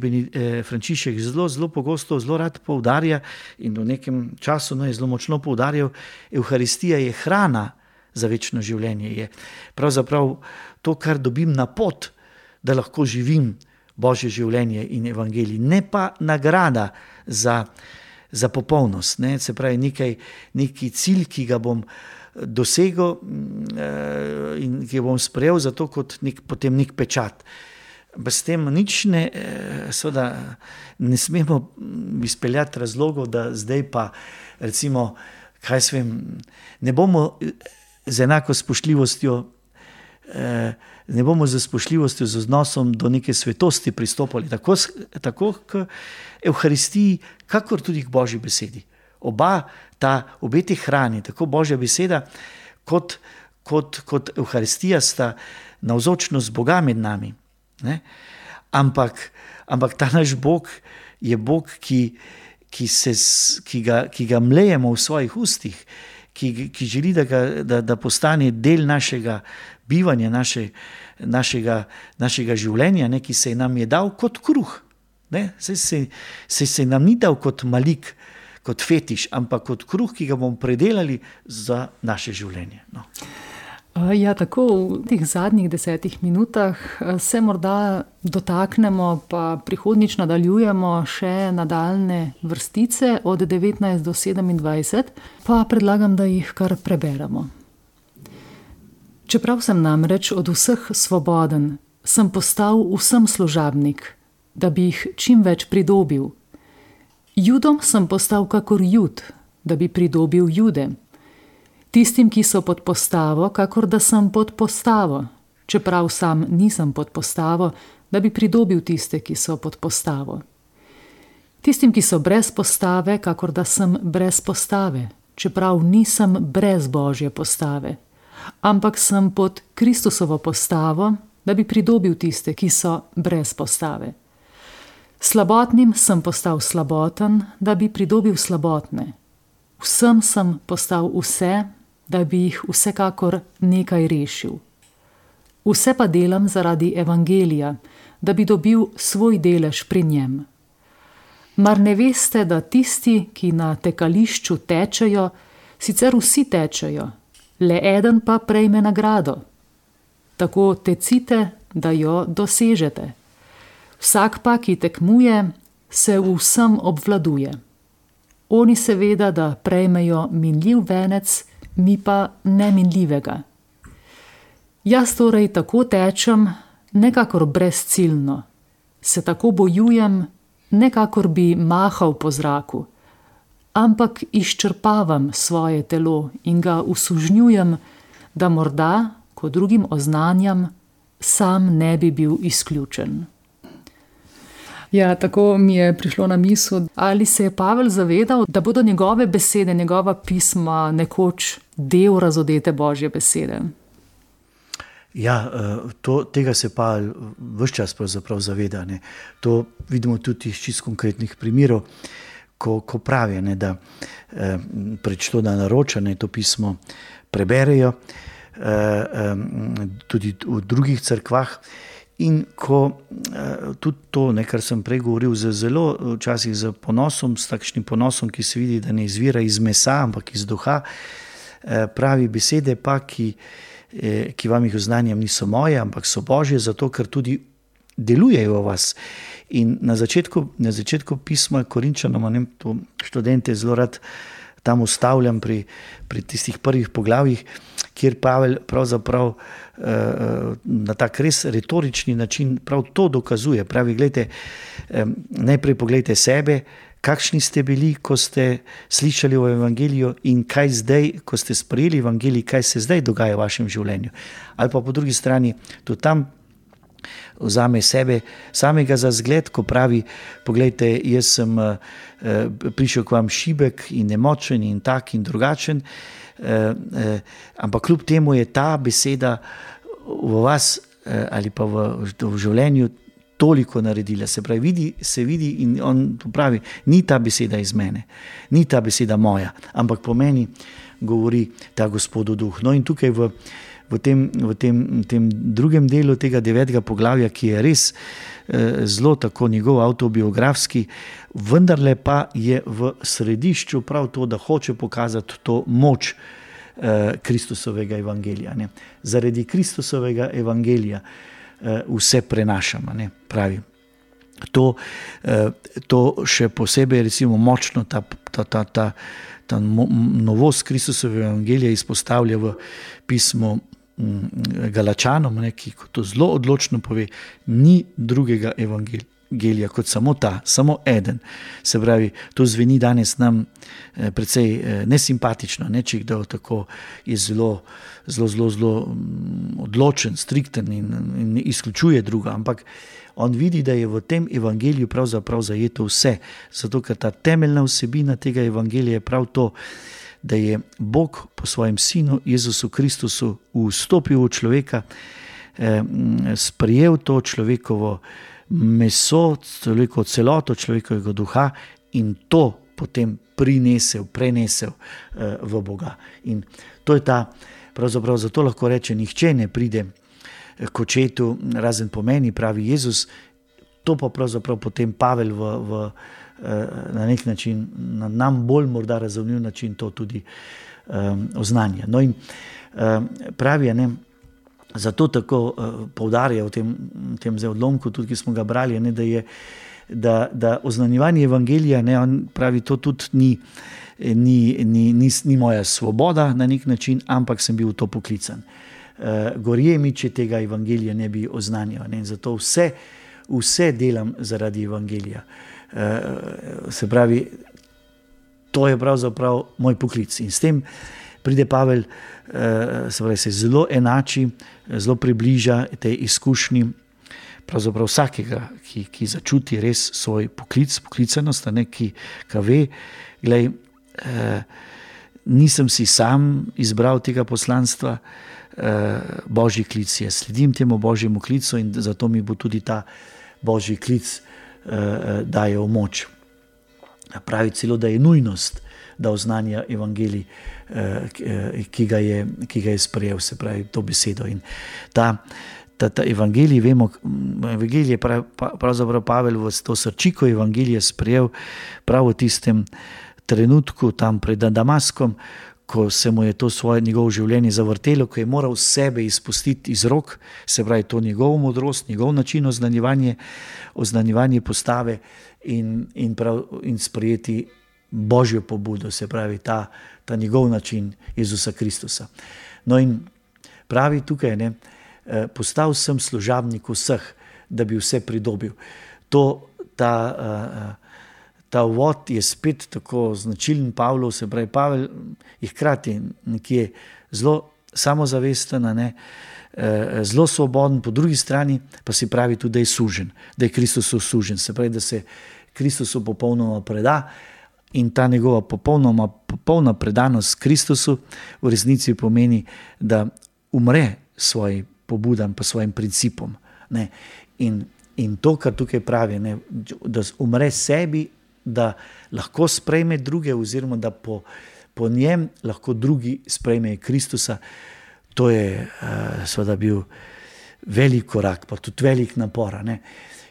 S2: Frančišek zelo pogosto, zelo rad poudarja in v nekem času je zelo močno poudarjal, Evharistija je hrana za večno življenje. Je pravzaprav to, kar dobim na pot, da lahko živim Božje življenje in evangelij, ne pa nagrada za za popolnost, ne? Se pravi neki cilj, ki ga bom dosegel in ki ga bom sprejel zato kot potem nek pečat. S tem nič seveda ne smemo izpeljati razlogov, da zdaj pa recimo, ne bomo z enako spoštljivostjo ne bomo z spoštljivostjo, z odnosom do neke svetosti pristopali tako k Evharistiji, kakor tudi k Božji besedi. Obe te hrani, tako Božja beseda kot Evharistija, sta navzočnost Boga med nami. Ne? Ampak ta naš Bog je Bog, ki ga mlejemo v svojih ustih, ki želi, da postane del našega bivanja, našega življenja, ne, ki se nam je dal kot kruh. Se nam ni dal kot malik, kot fetiš, ampak kot kruh, ki ga bomo predelali za naše življenje. No.
S1: Ja, tako v teh zadnjih 10 minutah se morda dotaknemo, pa prihodnjič nadaljujemo še nadaljne vrstice od 19 do 27, pa predlagam, da jih kar preberemo. Čeprav sem namreč od vseh svoboden, sem postal vsem služabnik, da bi jih čim več pridobil. Judom sem postal kakor Jud, da bi pridobil Jude. Tistim, ki so pod postavo, kakor da sem pod postavo, čeprav sam nisem pod postavo, da bi pridobil tiste, ki so pod postavo. Tistim, ki so brez postave, kakor da sem brez postave, čeprav nisem brez Božje postave, ampak sem pod Kristusovo postavo, da bi pridobil tiste, ki so brez postave. Slabotnim sem postal slaboten, da bi pridobil slabotne. Vsem sem postal vse, da bi jih vsekakor nekaj rešil. Vse pa delam zaradi evangelija, da bi dobil svoj delež pri njem. Mar ne veste, da tisti, ki na tekališču tečejo, sicer vsi tečejo, le eden pa prejme nagrado. Tako tecite, da jo dosežete. Vsak pa, ki tekmuje, se v vsem obvladuje. Oni seveda, da prejmejo minljiv venec, mi pa neminljivega. Jaz torej tako tečem, nekakor brezciljno. Se tako bojujem, nekakor bi mahal po zraku, ampak izčrpavam svoje telo in ga usužnjujem, da morda, ko drugim oznanjam, sam ne bi bil izključen. Ja, tako mi je prišlo na misel, ali se je Pavel zavedal, da bodo njegove besede, njegova pisma nekoč del razodete Božje besede.
S2: Ja, tega se Pavel ves čas pravzaprav zaveda. Ne. To vidimo tudi iz čisto konkretnih primerov, ko pravi, ne, da prečto da naroča, to pismo preberejo, tudi v drugih cerkvah. In ko tudi to, kar sem prej govoril, zelo včasih z ponosom, s takšnim ponosom, ki se vidi, da ne izvira iz mesa, ampak iz duha, pravi besede pa, ki vam jih oznanjam, niso moje, ampak so Božje, zato ker tudi delujejo v vas. In na začetku pisma Korinčanom, to študente zelo rad tam ustavljam pri tistih prvih poglavjih, kjer Pavel pravzaprav na tak res retorični način prav to dokazuje. Pravi, gledajte, najprej pogledajte sebe, kakšni ste bili, ko ste slišali o evangeliju, in kaj zdaj, ko ste sprejeli evangelij, kaj se zdaj dogaja v vašem življenju. Ali pa po drugi strani, tudi tam vzame sebe samega za zgled, ko pravi, pogledajte, jaz sem prišel k vam šibek in nemočen in tak in drugačen, ampak kljub temu je ta beseda v vas ali pa v življenju toliko naredila. Se vidi in on pravi, ni ta beseda iz mene, ni ta beseda moja, ampak po meni govori ta Gospodov duh. No in tukaj v tem drugem delu tega 9. poglavja, ki je res zelo tako njegov avtobiografski, vendarle pa je v središču prav to, da hoče pokazati to moč Kristusovega evangelija. Ne. Zaradi Kristusovega evangelija vse prenašamo, pravi. To še posebej recimo močno, ta novost Kristusove evangelije izpostavlja v pismu Galačanom, ki to zelo odločno pove, ni drugega evangelija kot samo ta, samo eden. Se pravi, to zveni danes nam precej nesimpatično, če kdo tako je zelo odločen, strikten in izključuje druga, ampak on vidi, da je v tem evangeliju pravzaprav zajeto vse, zato ker ta temeljna vsebina tega evangelija je prav to, da je Bog po svojem sinu Jezusu Kristusu vstopil v človeka, sprejel to človekovo meso, celoto človekovega duha in to potem prenesel v Boga. In to je ta, pravzaprav zato lahko reče, nihče ne pride k očetu, razen po meni, pravi Jezus. To pa pravzaprav potem Pavel na nek način, na nam bolj morda razumljiv način to tudi oznanja. No in pravi, zato tako poudarja v tem odlomku, tudi ki smo ga brali, da oznanjevanje evangelija, on pravi, to tudi ni moja svoboda na nek način, ampak sem bil v to poklican. Gorje mi, če tega evangelija ne bi oznanjal. Zato vse delam zaradi evangelija. Se pravi, to je pravzaprav moj poklic. In s tem pride Pavel, se zelo enači, zelo približa tej izkušnji pravzaprav vsakega, ki začuti res svoj poklicanost, ki ve, glej, nisem si sam izbral tega poslanstva, Božji klic je, sledim temu Božjemu klicu in zato mi bo tudi ta Božji klic dajal moč. Pravi celo, da je nujnost, da oznanja evangelij, ki ga je sprejel, se pravi to besedo. In ta evangelij, vemo, evangelij je pravzaprav Pavel v to srčiko evangelije sprejel prav v tistem trenutku tam pred Damaskom, ko se mu je to njegovo življenje zavrtelo, ko je moral sebe izpustiti iz rok, se pravi to njegovo modrost, njegov način oznanjevanje postave in sprejeti Božjo pobudo, se pravi ta njegov način Jezusa Kristusa. No in pravi tukaj, postal sem služabnik vseh, da bi vse pridobil. Ta uvod je spet tako značilen Pavlov, se pravi Pavel je hkrati nekje zelo samozavesten, zelo svoboden, po drugi strani pa si pravi tudi, da je sužen, da je Kristusu sužen, se pravi, da se Kristusu popolnoma preda in ta njegova popolna predanost Kristusu v resnici pomeni, da umre svojim pobudam pa svojim principom. In to, kar tukaj pravi, da umre sebi, da lahko sprejme druge oziroma da po njem lahko drugi sprejmejo Kristusa, to je seveda bil velik korak, pa tudi velik napor.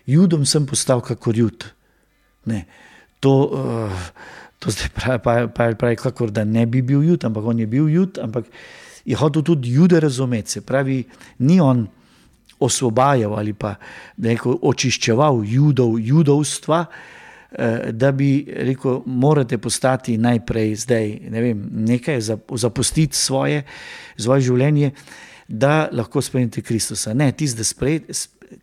S2: Judom sem postal kakor Jud. To zdaj pravi kakor da ne bi bil Jud, ampak on je bil Jud, ampak je hotel tudi Jude razumeti, se pravi, ni on osvobajal ali pa neko očiščeval judovstva, da bi rekel, morate postati najprej zdaj, nekaj zapustiti svoje življenje, da lahko sprejmete Kristusa. Ne, da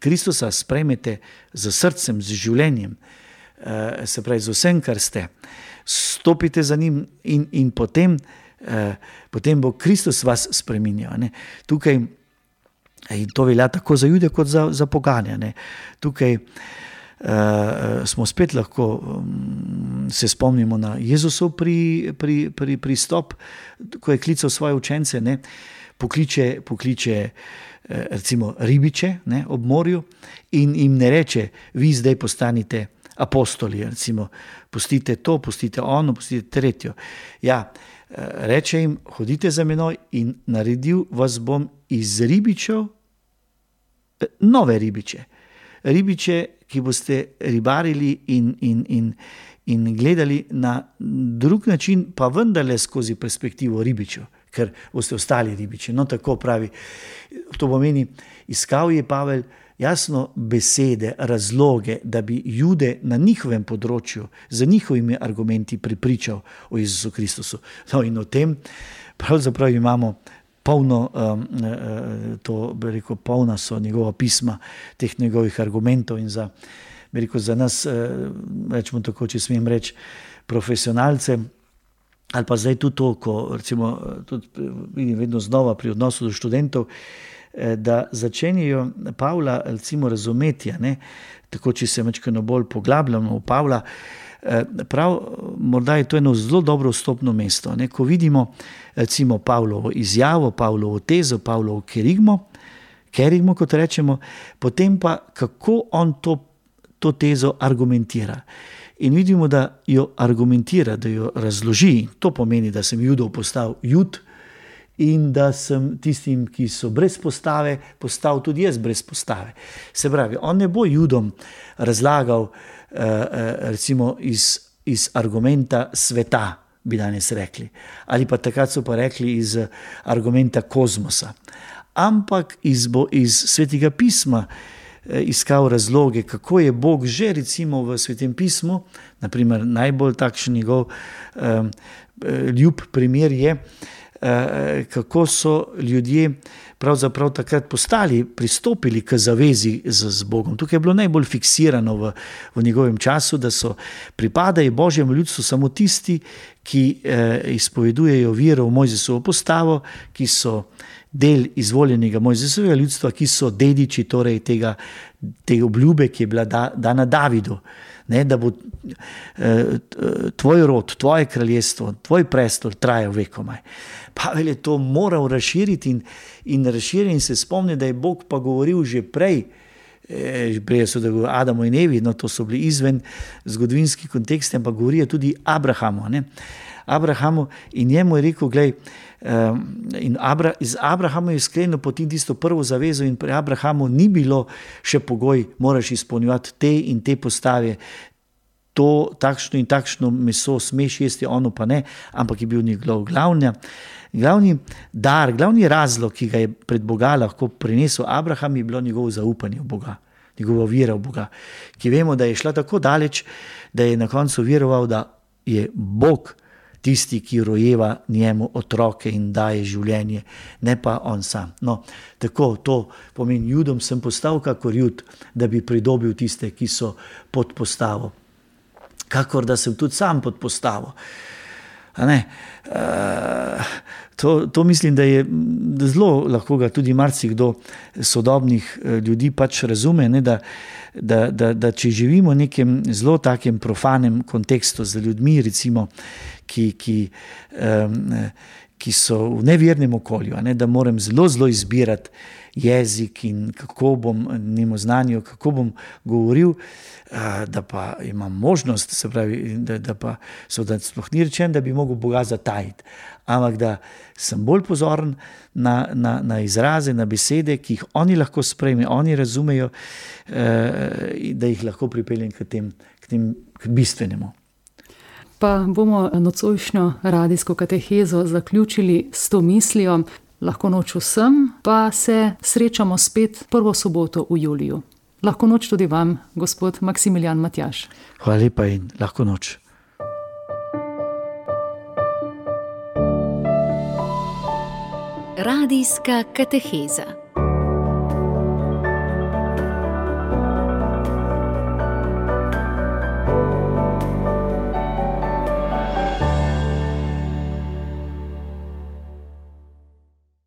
S2: Kristusa sprejmete z srcem, z življenjem, se pravi z vsem, kar ste. Stopite za njim in potem bo Kristus vas spreminjal. Tukaj, in to velja tako za Jude kot za poganje. Tukaj smo spet lahko se spomnimo na Jezusov pristop, ko je klical svoje učence, pokliče recimo ribiče ob morju in jim ne reče, vi zdaj postanite apostoli, recimo, pustite to, pustite ono, pustite tretjo. Ja, reče jim, hodite za menoj in naredil vas bom iz ribičev nove ribiče. Ribiče, ki boste ribarili in gledali na drug način, pa vendarle skozi perspektivo ribičev, ker boste ostali ribiči. No, tako pravi. To pomeni, iskal je Pavel jasno besede, razloge, da bi Jude na njihovem področju, z njihovimi argumenti prepričal o Jezusu Kristusu. No, in o tem pravzaprav imamo polno, polna so njegova pisma, teh njegovih argumentov in za nas, rečemo tako, če smem reči, profesionalce, ali pa zdaj tudi to, ko recimo tudi vidim vedno znova pri odnosu do študentov, da začenjajo Pavla recimo razumeti, tako če se malo bolj poglabljamo v Pavla, prav morda je to eno zelo dobro vstopno mesto. Ko vidimo recimo Pavlovo izjavo, Pavlovo tezo, Pavlovo kerigmo, kot rečemo, potem pa kako on to tezo argumentira. In vidimo, da jo argumentira, da jo razloži. To pomeni, da sem Judov postal Jud in da sem tistim, ki so brez postave, postal tudi jaz brez postave. Se pravi, on ne bo Judom razlagal recimo iz argumenta sveta, bi danes rekli. Ali pa takrat so pa rekli iz argumenta kozmosa. Ampak iz Svetega pisma iskal razloge, kako je Bog že recimo v Svetem pismu, naprimer najbolj takšen njegov ljub primer je, kako so ljudje pravzaprav takrat pristopili k zavezi z Bogom. Tukaj je bilo najbolj fiksirano v njegovem času, da pripadajo Božjemu ljudstvu samo tisti, ki izpovedujejo vero v Mojzesovo postavo, ki so del izvoljenega Mojzesovega ljudstva, ki so dediči torej te obljube, ki je bila dana Davidu, da bo tvoj rod, tvoje kraljestvo, tvoj prestol trajal vekomaj. Pavel je to moral razširiti in razširiti in se spomni, da je Bog pa govoril že prej so da govorili Adamu in Evi, no to so bili izven zgodovinski konteksti, ampak govorijo tudi Abrahamu in njemu je rekel, glej, iz Abrahama je sklenil potem tisto prvo zavezo in pri Abrahamu ni bilo še pogoj, moraš izpolnjevati te in te postave, to takšno in takšno meso smeš jesti, ono pa ne, ampak je bil njegov glavni dar, glavni razlog, ki ga je pred Boga lahko prinesel Abraham, je bilo njegovo zaupanje v Boga, njegova vera v Boga, ki vemo, da je šla tako daleč, da je na koncu veroval, da je Bog tisti, ki rojeva njemu otroke in daje življenje, ne pa on sam. No, tako to pomeni, Judom sem postal kakor Jud, da bi pridobil tiste, ki so pod postavo. Kakor da sem tudi sam pod postavo. To mislim, da je zelo lahko ga tudi marsikdo sodobnih ljudi pač razume, da če živimo v nekem zelo takem profanem kontekstu z ljudmi, recimo, ki so v nevernem okolju, da moram zelo izbirati jezik in kako bom njemu znanju, kako bom govoril, da pa imam možnost, se pravi, da pa da sploh ni rečen, da bi mogel Boga zatajiti, ampak da sem bolj pozoren na izraze, na besede, ki jih oni lahko sprejmejo, oni razumejo, da jih lahko pripeljem k bistvenemu.
S1: Pa bomo nocojšnjo radijsko katehezo zaključili s to mislijo. Lahko noč vsem, pa se srečamo spet prvo soboto v juliju. Lahko noč tudi vam, gospod Maksimilijan Matjaž.
S2: Hvala lepa in lahko noč.
S3: Radijska kateheza.